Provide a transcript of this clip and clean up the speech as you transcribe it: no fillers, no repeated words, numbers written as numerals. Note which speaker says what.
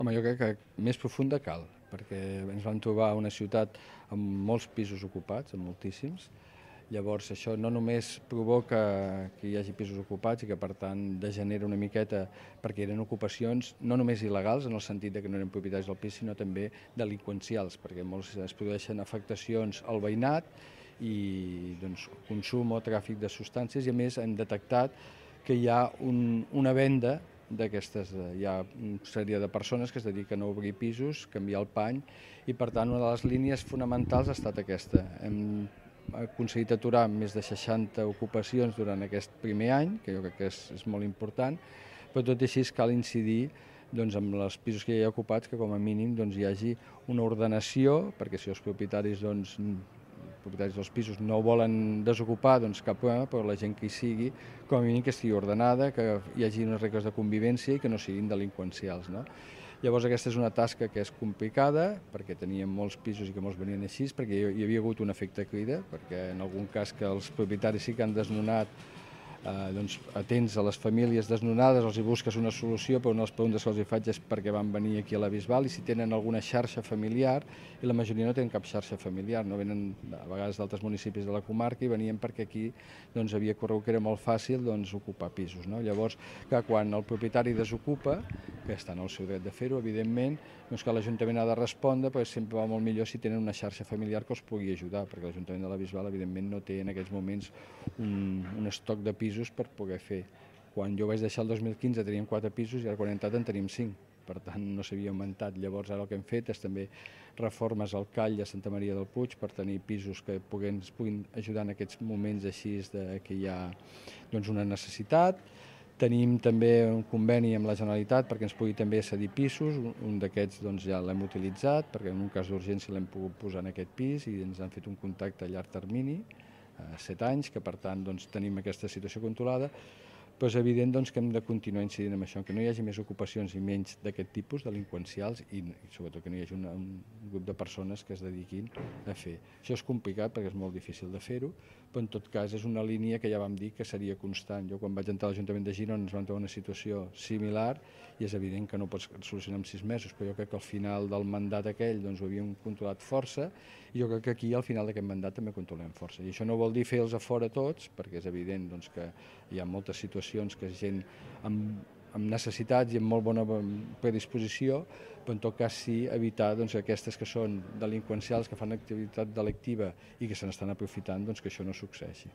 Speaker 1: Home, jo crec que més profunda cal, perquè ens vam trobar una ciutat amb molts pisos ocupats, amb moltíssims. Llavors això no només provoca que hi hagi pisos ocupats i que per tant degenera una miqueta perquè eren ocupacions no només il·legals en el sentit de que no eren propietaris del pis, sinó també delinqüencials, perquè molts es produeixen afectacions al veïnat i doncs, consum o tràfic de substàncies, i a més hem detectat que hi ha una venda d'aquestes, hi ha una sèrie de persones que es dediquen a obrir pisos, canviar el pany, i per tant una de les línies fonamentals ha estat aquesta. Hem aconseguit aturar més de 60 ocupacions durant aquest primer any, que jo crec que és molt important, però tot i així cal incidir doncs, amb els pisos que hi ha ocupats, que com a mínim doncs, hi hagi una ordenació, perquè si els propietaris dels pisos no volen desocupar, doncs cap problema, però la gent que hi sigui, com a mínim que estigui ordenada, que hi hagi unes regles de convivència i que no siguin delinqüencials, no? Llavors aquesta és una tasca que és complicada, perquè teníem molts pisos i que molts venien així, perquè hi havia hagut un efecte crida, perquè en algun cas que els propietaris sí que han desnonat, doncs, atents a les famílies desnonades, els hi busques una solució, però una de les preguntes que els hi faig és perquè van venir aquí a la Bisbal i si tenen alguna xarxa familiar, i la majoria no tenen cap xarxa familiar, no venen a vegades d'altres municipis de la comarca i venien perquè aquí doncs, havia corregut que era molt fàcil doncs, ocupar pisos. No? Llavors, que quan el propietari desocupa, que està en el seu dret de fer-ho, evidentment, doncs que l'Ajuntament ha de respondre, perquè sempre va molt millor si tenen una xarxa familiar que els pugui ajudar, perquè l'Ajuntament de la Bisbal, evidentment, no té en aquests moments un estoc de pisos per poder fer. Quan jo vaig deixar el 2015 teníem 4 pisos i ara quan he entrat en tenim 5, per tant no s'havia augmentat. Llavors ara el que hem fet és també reformes al Call i a Santa Maria del Puig per tenir pisos que ens puguin ajudar en aquests moments així que hi ha doncs, una necessitat. Tenim també un conveni amb la Generalitat perquè ens pugui també cedir pisos, un d'aquests doncs, ja l'hem utilitzat perquè en un cas d'urgència l'hem pogut posar en aquest pis i ens han fet un contacte a llarg termini, 7 anys, que per tant doncs, tenim aquesta situació controlada, però és evident doncs, que hem de continuar incidint en això, que no hi hagi més ocupacions i menys d'aquest tipus delinqüencials i sobretot que no hi hagi un grup de persones que es dediquin a fer. Això és complicat perquè és molt difícil de fer-ho, però en tot cas és una línia que ja vam dir que seria constant. Jo quan vaig entrar a l'Ajuntament de Girona ens vam trobar una situació similar i és evident que no pots solucionar en 6 mesos, però jo crec que al final del mandat aquell doncs, ho havíem controlat força i jo crec que aquí al final d'aquest mandat també controlem força. I això no vol dir fer-los a fora tots, perquè és evident doncs, que hi ha moltes situacions que és gent amb necessitats i amb molt bona predisposició, però en tot cas sí evitar doncs, aquestes que són delinqüencials, que fan activitat delictiva i que se n'estan aprofitant, doncs, que això no succeeixi.